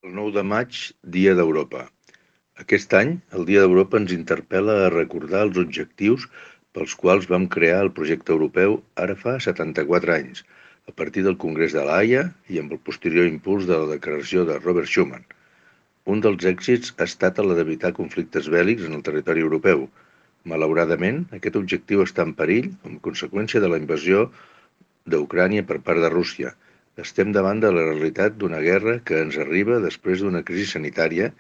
El 9 de maig, Dia d'Europa. Aquest any, el Dia d'Europa ens interpel·la a recordar els objectius pels quals vam crear el projecte europeu ara fa 74 anys, a partir del Congrés de l'Haia i amb el posterior impuls de la declaració de Robert Schuman. Un dels èxits ha estat el d'evitar conflictes bèl·lics en el territori europeu. Malauradament, aquest objectiu està en perill com a conseqüència de la invasió d'Ucrània per part de Rússia. Estem davant de la realitat d'una guerra que ens arriba després d'una crisi sanitària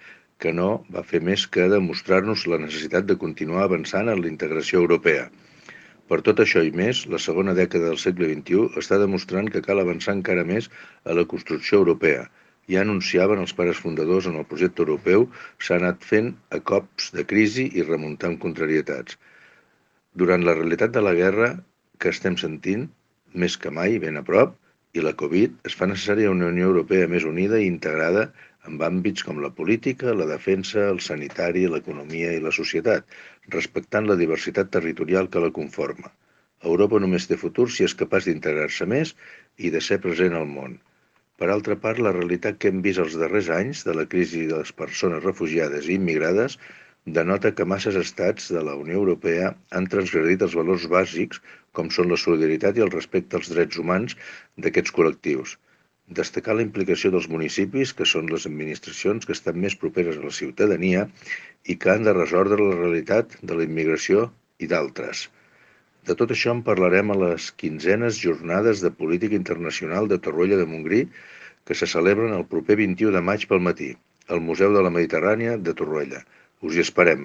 que no va fer més que demostrar-nos la necessitat de continuar avançant en la integració europea. Per tot això i més, la segona dècada del segle XXI està demostrant que cal avançar encara més a la construcció europea. Ja anunciaven els pares fundadors en el projecte europeu, s'ha anat fent a cops de crisi i remuntant contrarietats. Durant la realitat de la guerra que estem sentint, més que mai ben a prop, i la Covid, es fa necessària una Unió Europea més unida i integrada en àmbits com la política, la defensa, el sanitari, l'economia i la societat, respectant la diversitat territorial que la conforma. Europa només té futur si és capaç d'integrar-se més i de ser present al món. Per altra part, la realitat que hem vist els darrers anys de la crisi de les persones refugiades i immigrades denota que masses estats de la Unió Europea han transgredit els valors bàsics com són la solidaritat i el respecte als drets humans d'aquests col·lectius. Destacar la implicació dels municipis, que són les administracions que estan més properes a la ciutadania i que han de resoldre la realitat de la immigració i d'altres. De tot això en parlarem a les 15enes Jornades de Política Internacional de Torroella de Montgrí, que se celebren el proper 21 de maig pel matí, al Museu de la Mediterrània de Torroella. Us hi esperem.